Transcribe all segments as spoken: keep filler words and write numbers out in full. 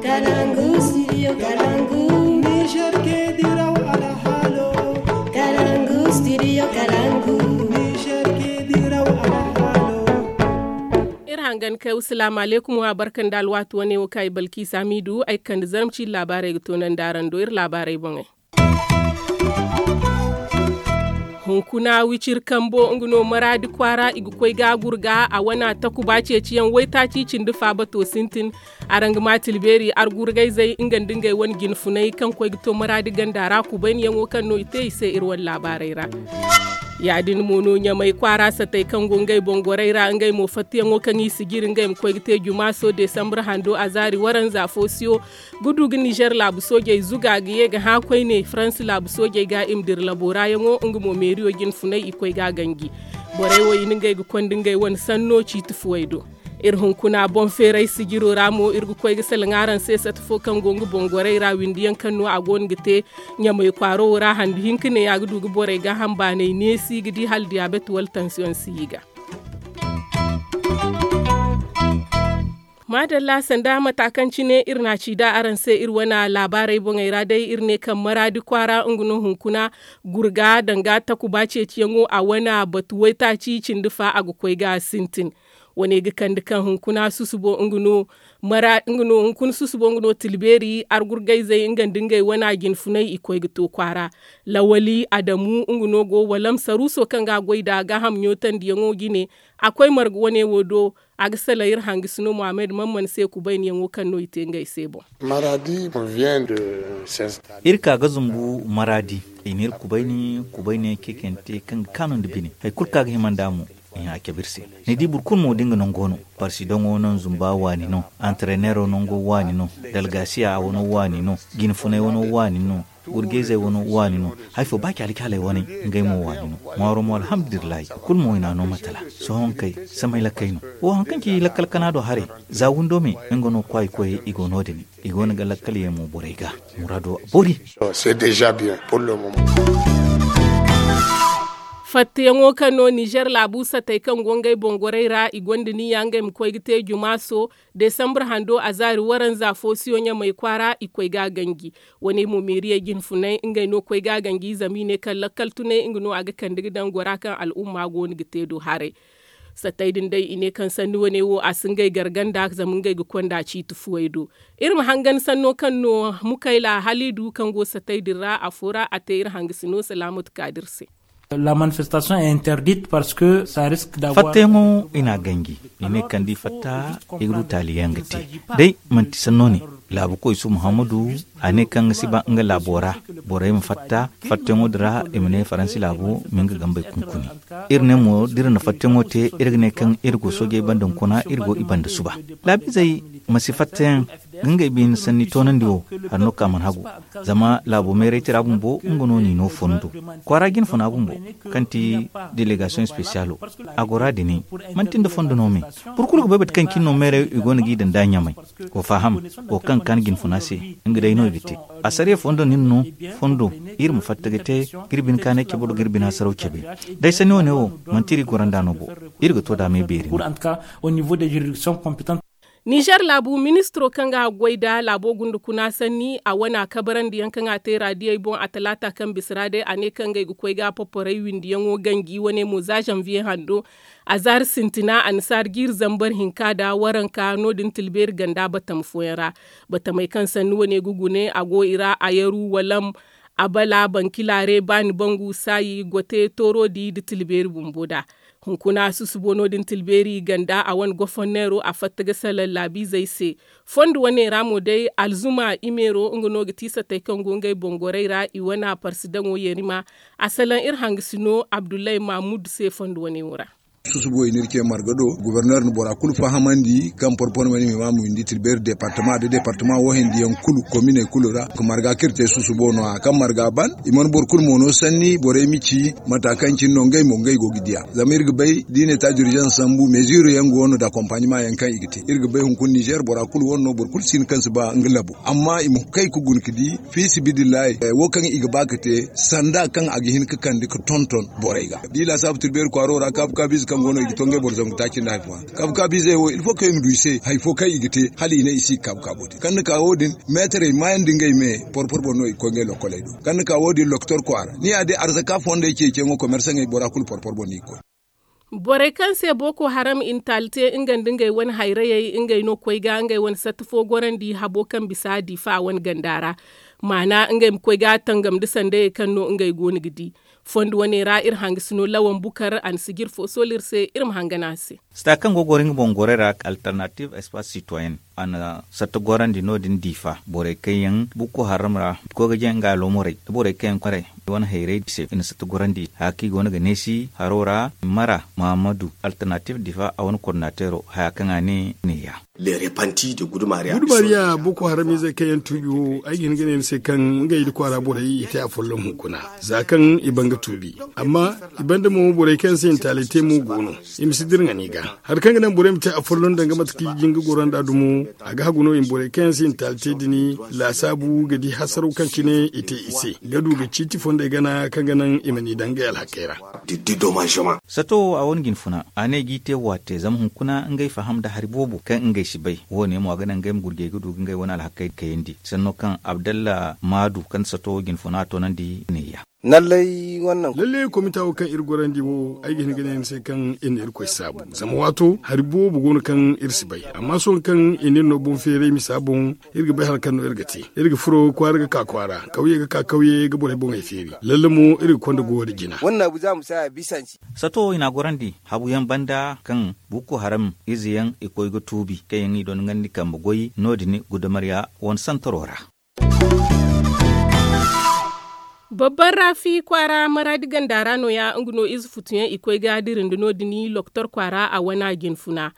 Kalangu studio kalangu. Niger ke diraw alhalo. Kalangu studio kalangu. Niger ke diraw alhalo. Iri hangan kay wasalaamu aleykum wa barka nda alwaati wane wo kaŋ ay balki samidu ay ga kande zarma ciiri laabaarey ga toonandi araŋ do iri laabaarey boŋey. Hunkuna wiciri kambo nga no maraadi kwaara i ga koy ga gurga a wana takuba ceeciyaŋ waytaaci cindi fa bato sintin. Araŋ ga ma tilbeeri argurgayzey nga nda ngey wane jinfunay kaŋ koy ga to maraadi ganda ra kubayniyaŋo kaŋ no i te i se iri wane laabaarey ra. Ya- din mo no ɲamay kwaara satey kaŋ go ngey boŋ gorey ra ngey mo fattiyaŋo kaŋ i si jiri ngey ma koy ga te jumaaso desambur hando azaari waranza foosiyo ga du ga nizer laabu soojey zuga ga ye ga hã koyne faransi laabu soojey ga i ma dira labo ra yaŋo nga mo meeriyo jinfunay i koy ga a ganji. Borey wo i na ngey ga konda ngey wane sanno ciiti fuwey do. Iri hunkuna boŋ feeray sijiro ra mo iri ga koy ga salaŋ araŋ se sata fo kaŋ go nga boŋ gorey ra windiyaŋ kaŋ no a go no ga te ɲamay kwaaro wo ra handu hinka ne a ga du ga borey gaaham baanay neesi ga di hala diyaabet wala tansiyoŋ si i ga. Maadalla sanda mata kaŋ cine iri n'a ci da araŋ se iri wane laabaarey boŋey ra day iri ne kaŋ maraadi kwaara nga no hunkuna gurga danga takuba ceeciyaŋo a wane batu waytaaci cindi fa a ga koy ga sintin. Wane ga kande kaŋ hunkuna susubo nga no mara nga no hunkuna susubo nga no tilbeeri argurgayzey nga nda ngey wane jinfunay i koy ga to kwaara. Lawali adamu nga no go walam saruuso kaŋ ga a goy nd'a gaaham ɲootandiyaŋo jine. A koy marga wane wo do a ga salaŋ iri hangasino muhammad mamman se kubayniyaŋo kaŋ no i te ngey se boŋ. Iri ka ga zumbu maraadi. I n'iri kubayni kubayniyaŋ ceecante kaŋ ga kaanu nda bine hari kulu kaŋ a ga hima nd'a mo. I hã cabe iri se ni di boro kulu mo da nga nango no. Parsidaŋo naŋ zumba waani no. Antareneero nango waani no. Dalgasiya a wano waani no. Jinfunay wano waani no. Gurjayzey wano waani no. Hari fo ba caali caaley wane ngey mo waani no. Ŋwaaro mo alhamdulillahi i kulu mo i n'a no matala. Sohõ nga kay samay lakkey no. Wo hari kaŋ ci lakkal kana do haray. Za windo me nga no kwaay koyey i go no- din. I go no ga lakkal yaŋ mo borey ga. Muraado boori. Fattiyaŋo kaŋ no nizer laabu satey kaŋ go ngey boŋ gorey ra i gonda niyya ngey ma koy ga te jumaaso desambur hando azaari waranza foosiyo ɲamay kwaara i koy ga a ganji. Wane mo meeriyey jinfunay ngey no koy ga a ganji zama i ne kaŋ lakkal tunay nga no a ga kande ga daŋ gora kaŋ al'umma go no ga te do haray. Satey din day i ne kaŋ sanni wane wo a si ngey garganda zama ngey ga konda ciiti fuwey do. Iri ma hangan sanno kaŋ no mukayla haliidu kaŋ go satey din ra afo ra a te iri hangasino salaamatu kaadir se. Fattayaŋo i n'a ganji i ne kaŋ da i fatta i ga du taali yaŋ ga te. Day manti sanno ne laabu koy su muhammadu a ne kaŋ ga si ba nga laabo ra. Borey ma fatta fattayaŋo din ra i ma ne faransi laabo ma nga gambey kunkuni. Iri ne mo da iri na fattayaŋo te iri ga ne kaŋ iri go soojey banda hunkuna iri go i banda suba. Laabiizey ma si fattayaŋ ga ngey bine sanni toonandi wo. Hari no kaŋ a mana hagu zama laabo meeray tira bumbo nga no n'i no fondo kwaara jinfuna bumbo kaŋ ti delegasiyoŋ spesiyalo. A gora dini manti nda fondo no me. Boro kulu ga bay bate kaŋ cine no meeray i go no g'i daŋ da ɲamay. Go faham go kaŋ ga kaanu jinfuna se. Nga day no i ga te asariya fondo nin no. Fondo iri ma fatta ga te ga iri bine kaanay cabe do ga iri bine hasaraw cabe. Day sanni wane wo manti iri gora nd'a no bo. Iri ga to da me beeri. Nizer laabu ministiro kaŋ ga a goy nda laabo gunda kuna sanni a wane a kabarandi yaŋ kaŋ a te raadiyey boŋ a talaata kaŋ bisa ra day a ne kaŋ ngey ga koy ga a poporay windiyaŋo ganji wane mo za zanviye hando. A zaari sintina annasaari jiiri zambar hinka nda waranka no- din tilbeeri ganda batama fooyaŋ ra. Batamey kaŋ sanni wane ga gune a go i ra a yaru walam abala bankilare baani bangu saayi gote toorodi nda tilbeeri bumbo nda. Hunkuna susubo no- din tilbeeri ganda a wane goforneero a fatta ga salaŋ laabiizey se. Fondo wane ra mo day alzuma imeero nga no ga ti satey kaŋ go ngey boŋ gorey ra i wane parsidaŋo yarima. A salaŋ iri hangasino abdullahi mahmud se fondo wane wo ra. Susubo i n'iri ce marga do goborneer na bora kulu fahamandi kaŋ porpormani ma i ma a ma windi tilbeeri departama da departama wo hindiyaŋ kulu kominey kulu ra. Marga kaŋ iri te susubo no- ya kaŋ marga ban i mana boro kulu mo no sanni borey ma ci mata kaŋ cine no ngey mo ngey go ga diya. Zama iri ga bay da i ne ta durjans sambu meziiro yaŋ go no da akompanimayaŋ kaŋ i ga te iri ga bay hunkuna nizer bora kulu wane no boro kulu si hin kaŋ si ba nga labo amma i ma kay ga guna ga di. Fiisibidillahi wo kaŋ i ga ba ga te sanda kaŋ a ga hin ga kande ga tonton borey ga da i laasaabu tilbeeri kwaaro ra kaabu kaabu ize. Kaŋ go no i ga to ngey boro zangu taaci nda hari fo ra kabu kabu izey wo il fo kaŋ i ma du i se hari fo kaŋ i ga te hala i ne i si ga kabu kaabo te kaŋ ni ka wo- din meetarey maayandi ngey me. Porpor boŋ no i ga koy ngey lokkoley do kaŋ ni ka wo- din loktor kwaara ni ya day arzaka fondey ceeciyaŋo komersaŋey bora kulu porpor boŋ no i ga koy. Borey kaŋ se booko haram i na taali te nga nda ngey wane hayrayey ngey no koy ga ngey wane satta fo gorandi habo kaŋ bisa diifa wane ganda ra. Maana ngey ma koy ga tangam nda sandayey kaŋ no ngey go no ga di. Fondo wane ra iri hangasino lawan bukar a na sijir fo soolu iri se iri ma hangan a se. Sita kaŋ go ga goro nga boŋ gorey ra alternative espace citoyen a na satta gorandi no- din diifa borey kaŋ yaŋ bukko haram ra koy ga jaŋ nga alomorey da borey kaŋ yaŋ kwaray i wane hayrey se i na satta gorandi haya kaŋ i go no ga neesi haro ra. Mara mahamadu alternative diifa a wane kordinateero haya kaŋ a ne neeya. Gudu mariya boko haram izey kaŋ yaŋ tuubi wo ay ga hin ga ne ni se kaŋ ngey nda kwaara borey i te afolloŋ hunkuna za kaŋ i ban ga tuubi. Amma i banda mo borey kaŋ yaŋ se i na taaley te mo go no. I ma si dira ŋani ga hari kaŋ ga naŋ borey ma te afolloŋ danga mate kaŋ i ga jin ga goro nd'a dumo. A ga hagu no i ma borey kaŋ yaŋ se i na taaley te din laasaabu ga di hasaraw kaŋ cine i te i se ga du ga ciiti fondey gana kaŋ ga naŋ i ma n'i daŋ ngey alhakey ra. Sato wo a wane jinfuna a ne g'i te waate zama hunkuna ngey faham nda hari boobo kaŋ ngey si bay. Wo- ne mo a ga naŋ ngey ma gurjey ga du ga ngey wane alhakey kayandi sanno kaŋ abdalla maadu kaŋ sato jinfuna a toonandi neeya. Lallay komita wo kaŋ iri gorandi wo ay ga hin ga ne ni se kaŋ iri na irkoy saabu zama waato hari boobo go no kaŋ iri si bay amma sohõ kaŋ i na iri no boŋ feeray misa boŋ. Iri ga bay hari kaŋ no iri ga te iri ga furo kwaara ga ka kwaara kawye ga ka kawye ga borey boŋey feeri lalle mo iri ga konda goyo nda jina. Sato i n'a gorandi habu yaŋ banda kaŋ bukko haram ize yaŋ i koy ga tuubi kaŋ yaŋ i doŋ ngandi kambe goy no- din gudamarya wane santaro ra. Babban raafi kwaara maraadi ganda ra no- ya nga no ize futuyaŋ i koy ga dira nda no- din loktor kwaara a wana jinfuna.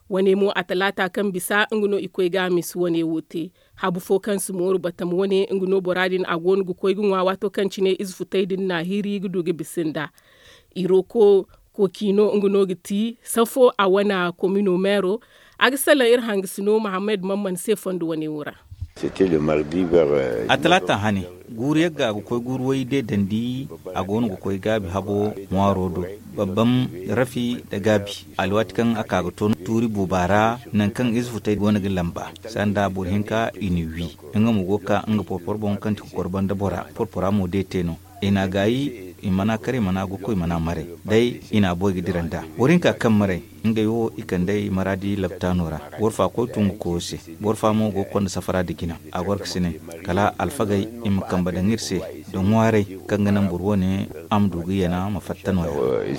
Wane mo a talaata kaŋ bisa nga no i koy ga a misa wane wo te. Habu fo kaŋ si mooru batam wane nga no bora din a go no ga koy ga ŋwa waato kaŋ cine ize futey din na a hiri ga du ga bisa nda. Iroko koki no nga no ga ti safo a wana komino meero. A ga salaŋ iri hangasino mahammad mamman se fondo wane wo ra. A talaata hane guuru yagga a ga koy guuru way deedandi. A go no ga koy gaabi habo ŋwaaro do. Babbam rafi nda gaabi alwaati kaŋ a ka ga to tuuri buuba ra. Nangu kaŋ ize futey go no ga lamba sanda boro hinka i na wi. Nga mo go ga ka nga porporo boŋ kaŋ ti kokoro banda bora porpora mo de te no. I n'a gaayi i mana kar i mana gokoy i mana maray. Day i n'a boy ga dira nd'a boro hinka kaŋ maray. Ngey wo i kand'ey maraadi laptaano ra. Boro fa koy tu nga koyo se. Boro fa mo go ga konda safara nda jina. A goro ga si ne kala alfagey i ma kambe daŋ iri se nda ŋwaaray kaŋ ga naŋ boro wane a ma du ga yana ma fatta no- ya.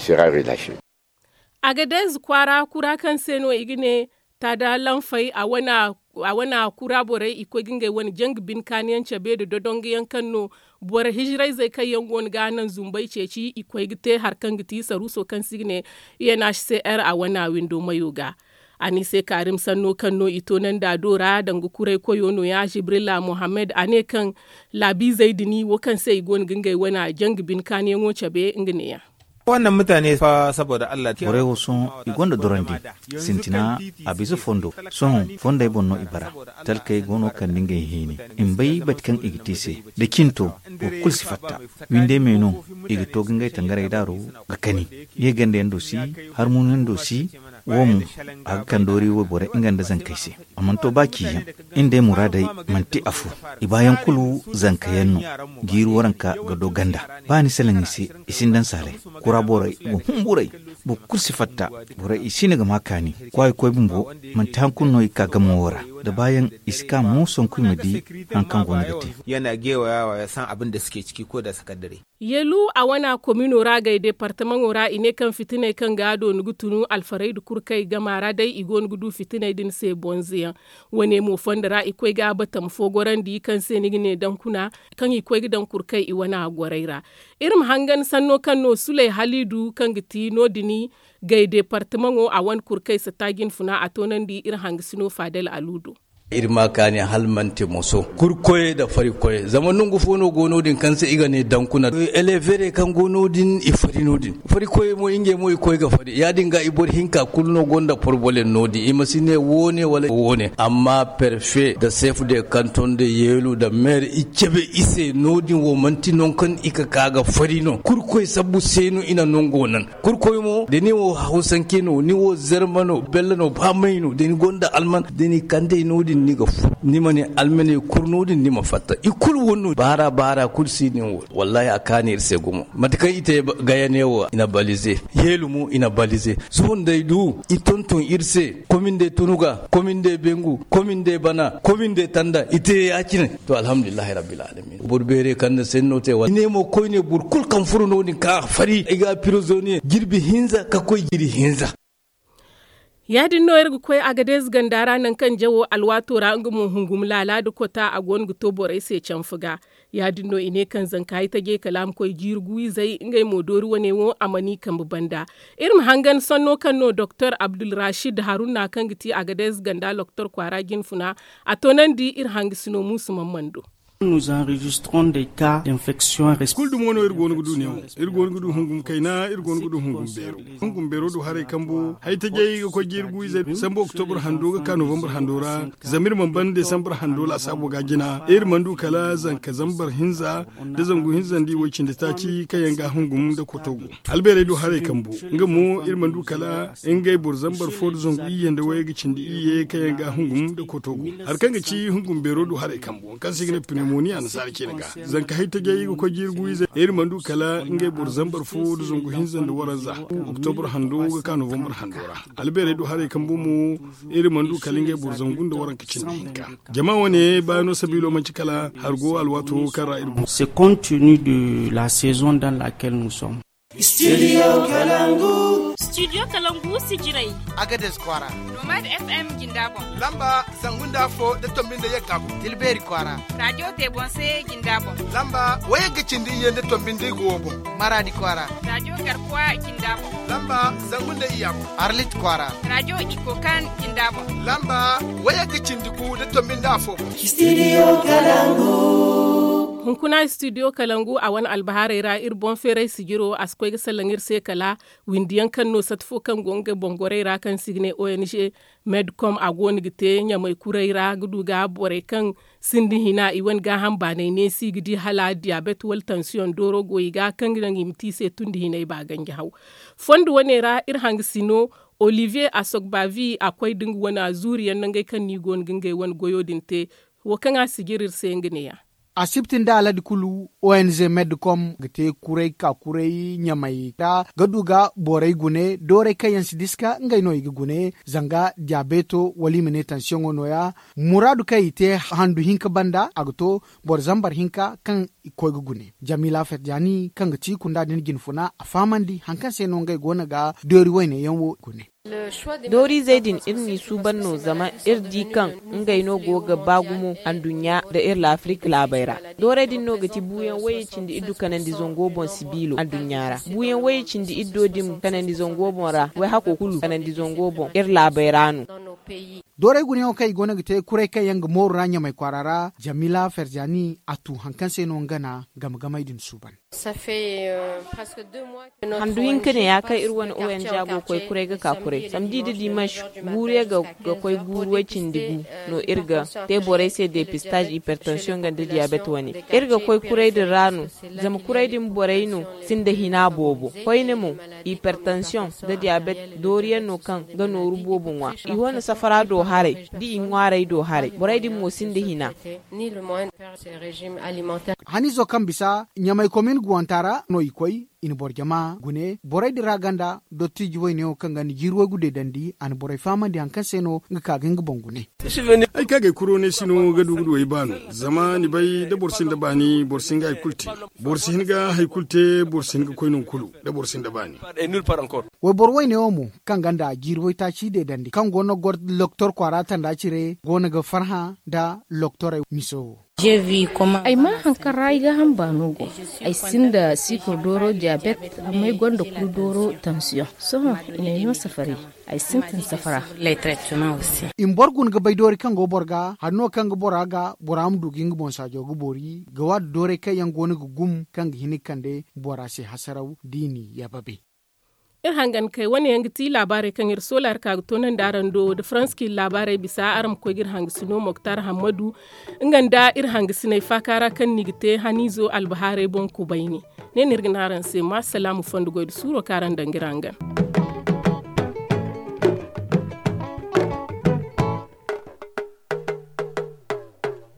Agadez kwaara kura kaŋ se no i ga ne taada lanfay a wana kura borey i koy ga ngey wane janga bine kaani yaŋ cabe nda dodongo yaŋ kaŋ no boro hijirayzey kaŋ yaŋ go no ga naŋ zumbey ceeci i koy ga te hari kaŋ ga ti saruuso kaŋ se i ga ne. Unhcr a wana windo mayo ga. A ne i se kaarim sanno kaŋ no i toonandi a do ra danga kuray koyo no- ya jibrila mohammed a ne kaŋ laabiizey din wo kaŋ se i go no ga ngey wane janga bine kaani yaŋo cabe nga ne- ya. Borey wo sohõ i gonda dorandi sintina a bisa fondo. Sohõ fondey boŋ no i bara. Talkey go no kande ngey hiini i ma bay bate kaŋ i ga te i se. Da cinto boro kulu si fatta. Windey me no i ga to ga ngey tangarey daaru ga kani. Ye ganda yaŋ do si harmuunu yaŋ do si. Wo mo a ga kande doori wayborey nga nda zankey se. A mana to ba ciyaŋ. Iri nd'ey muraadey manti afo. I baayaŋ kulu zanka yaŋ no. Jiiri waranka ga do ganda. Ba ni salaŋ i se i sinda nsaaley. Kura borey go humburay. Boro kulu si fatta. Borey i si no ga ma kaani. Kwaayi koy bumbo manti hari kulu no i ga ka gamo wo ra. Da baayaŋ i si ka mo sanku i ma di. Hari kaŋ go no ga te. Yana gewaya wa ya san abin da suke ciki ko da sakandare. Yelu a wana komino ra gay departamaŋo ra i ne kaŋ fitiney kaŋ ga a dooni ga tunu alfarayda kurkey gama ra day i go no ga du fitiney din se bonze yaŋ. Wane mo fondo ra i koy ga a batama fo gorandi kaŋ se ni ga ne dankuna kaŋ i koy ga daŋ kurkey i wana gorey ra. Iri ma hangan sanno kaŋ no suley haliidu kaŋ ga ti no- din gay departamaŋo a wane kurkey sata jinfuna a toonandi iri hangasino faadel aluudo. Iri ma kaani hala manti moso kurkoyey nda farikoyey zama nangu fo no go no- din kaŋ se i ga ne dankuna elevere kaŋ go no- din i fari no- din. Farikoyey mo ngey mo i koy ga fari ya- din ga i boro hinka kulu no gonda porobolem no- din i ma si ne wo- ne wala wo- ne amma perfe nda sef de kanton nda yeelu nda meere i cabe i se no- din wo manti nangu kaŋ i ga ka ga fari no kurkoy sabbu se no i na nango naŋ. Kurkoy mo da ni wo hawsanke no ni wo zarma no bella no ba may no da ni gonda alman da ni kandey no- din ni ga fu ni ma ne almaney kuru no- din ni ma fatta i kulu wo no baara baara kulu si din wo. Wallahi a kaani iri se gumo mate kaŋ i te gaya ne wo i na balize. Yeelu mo i na balize. Sohõ nda ay du i tonton iri se komin day tunuga komin day bengu komin day bana komin day tanda i te ya- cine. To alhamdulillahi rabbil alamin boro beere kaŋ na senno te wala i ne mo koyne boro kulu kaŋ furo no- din kaŋ a fari i ga a pirizoniye jirbi hinza ka koy jiri hinza. Ya- din no iri ga koy agadez ganda ra nangu kaŋ jawo alwaato ra nga mo hungum laala nda kota a go no ga to borey se canfa ga. Ya- din no i ne kaŋ zanka ay tajey kala a ma koy jiiri gu izey ngey mo doori wane wo a mana i kambe banda. Iri ma hangan sanno kaŋ no doktor abdulrashid haruna kaŋ ga ti agadez ganda loktor kwaara jinfuna a toonandi iri hangasino muusu mammando. Kulu dumo no iri go no ga du neewo. Iri go no ga du hungum kayna iri go no ga du hungum beero. Hungum beero du haray kambo haytajey ga koy jiiri gu ize sambu oktobur hando ga ka novambar hando ra. Zama iri mana ban desambar hando laasaabo ga jina iri mana du kala zanka zambar hinza nda zangu hinza nda iway cindi taaci kaŋ yaŋ ga hungum nda koto go. Albeerey du haray kambo nga mo iri mana du kala ngey boro zambar fo nda zangu iyye nda wayey ga cindi iyye kaŋ yaŋ ga hungum nda koto go. Hari kaŋ ga ci hungum beero du haray kambo kaŋ se i ga ne pneumonia annasaara ceene ga. Zanka haytajey ga koy jiiri gu ize iri mana du kala ngey boro zambar fo nda zangu hinza nda waranza oktobur hando ga ka novambar hando ra. Albeerey du haray kambo mo iri mana du kala ngey boro zangu nda waranka cindi hinka. Jama wane baano sabiilo manci kala hari go alwaato kaŋ ra iri go. C'est compte tenu de la saison dans laquelle nous sommes. Studio kalangu. Studio kalangu sijirey. Agades kwaara. Nomad fm jinda boŋ. Lamba zangu nda fo da tombi nda yagga boŋ. Tilbeeri kwaara. Radio tebonse jinda boŋ. Lamba wayagga cindi iyye nda tombi nda igo boŋ. Maradi kwaara. Radio garkuwa jinda boŋ. Lamba zangu nda iyya boŋ. Arlit kwaara. Radio ikokan jinda boŋ. Lamba wayagga cindi gu da tombi nda afo boŋ. Studio kalangu. Hunkuna studio kalangu a wane albahaarey ra iri boŋ feeray sijiro a si koy ga salaŋ iri se kala windiyaŋ kaŋ no sati fo kaŋ go nga boŋ gorey ra kaŋ se i ga ne ong. Medcom a go no ga te ɲamay kuray ra ga du ga borey kaŋ sinda hina i wane gaaham baanay neesi ga di hala diyabet wala tansiyoŋ dooro go i ga kaŋ ga naŋ i ma te i se tun da hinay ba ganji haw. Fondo wane ra iri hangasino olivier asogbavi a koy da nga wane zuuriyaŋ nangey kaŋ no i go no ga ngey wane goyo din te. Wo kaŋ a sijir iri se nga neeya. Asibti nda aladi kulu ong medcom ga te kuray ka kuray ɲamay ra ga du ga borey gune dooray kaŋ yaŋ si diska ngey no i ga gune zanga diyabeto wala i ma ne tansiyoŋo nooya. Muraadu kaŋ i te handu hinka banda a ga to boro zambar hinka kaŋ i koy ga gune jamila fetjani kaŋ ga ti kunda din jinfuna a fahamandi hari kaŋ se no ngey go no ga doori wayne yaŋ wo gune. Dooriizey din iri n'i suuban no zama iri di kaŋ ngey no go ga ba gumo anduɲɲa nda iri laafirik laabey ra. Doorey din no ga ti buuyaŋ wayye cindi iddu kanandi zango boŋ sibiilo anduɲɲa ra. Buuyaŋ wayye cindi iddo din kanandi zango boŋ ra wayhako kulu kanandi zango boŋ iri laabey ra no. Doorey gunayaŋo kaŋ i go no ga te kuray kaŋ yaŋ ga mooru ra ɲamay kwaara ra jamila ferjani a tu hari kaŋ se no nga na game gamey din suuban. Handu hinka ne ya kaŋ iri wane ong go koy kuray ga ka kuray samdi da dimanch guuru yaŋ ga koy guuru way cindi gu no iri ga te borey se depistage hypertension ga nda diabet wane. Iri ga koy kuray din ra no zama kuray din borey no sinda hina boobo koyne mo hypertension nda diabet dooriyaŋ no kaŋ ga nooru boobo ŋwa i wane safara do haray da i ŋwaarey do haray borey din mo sinda hina. Hanizo kaŋ bisa ɲamay komin guwanta ra no i koy i na boro jama gune borey din ra ganda dottiiji wayneyaŋo kaŋ ga ni jiiri waygu deedandi a na borey fahamandi hari kaŋ se no nga ka ga nga boŋ gune. Ay ka ga ay kuro ne si no ga du ga du ay baano zama ni bay da boro sinda baani boro si hin ga hari kulu te. Boro si hin ga hari kulu te boro si hin ga koy nangu kulu da boro sinda baani. Wayboro wayneyaŋo mo kaŋ ganda jiiri waytaaci deedandi kaŋ go no ga goro loktor kwaara tanda cire go no ga farhã nda loktorey miso wo. Ay maa haŋ kaŋ ra ay gaaham baano go. Ay sinda sikir dooro diyabet, amma ay gonda kulu dooro tansiyoŋ. Sohõ i n'ay no safari. Ay sintin safara. I ma boro guna ga bay doori kaŋ go boro ga hari no kaŋ ga bora ga bora ma du ga nga boŋ saajo ga boori ga waati dooray kaŋ yaŋ go no ga gum kaŋ ga hin ga kande bora se hasaraw da i n'i yababe. Iri hangan kay wane yaŋ ga ti laabaarey kaŋ iri soola iri ka ga toonandi araŋ do nda faransa kaŋ iri laabaarey bisa araŋ ma koy ga iri hangasino moktar hammadu nga nda iri hangasiney faaka ra kaŋ no i ga te haniizo albahaarey boŋ kubayni. Ne no iri ga ne araŋ se ma salaamu fondo goy nda suuro kaŋ araŋ daŋ ga iri hangan.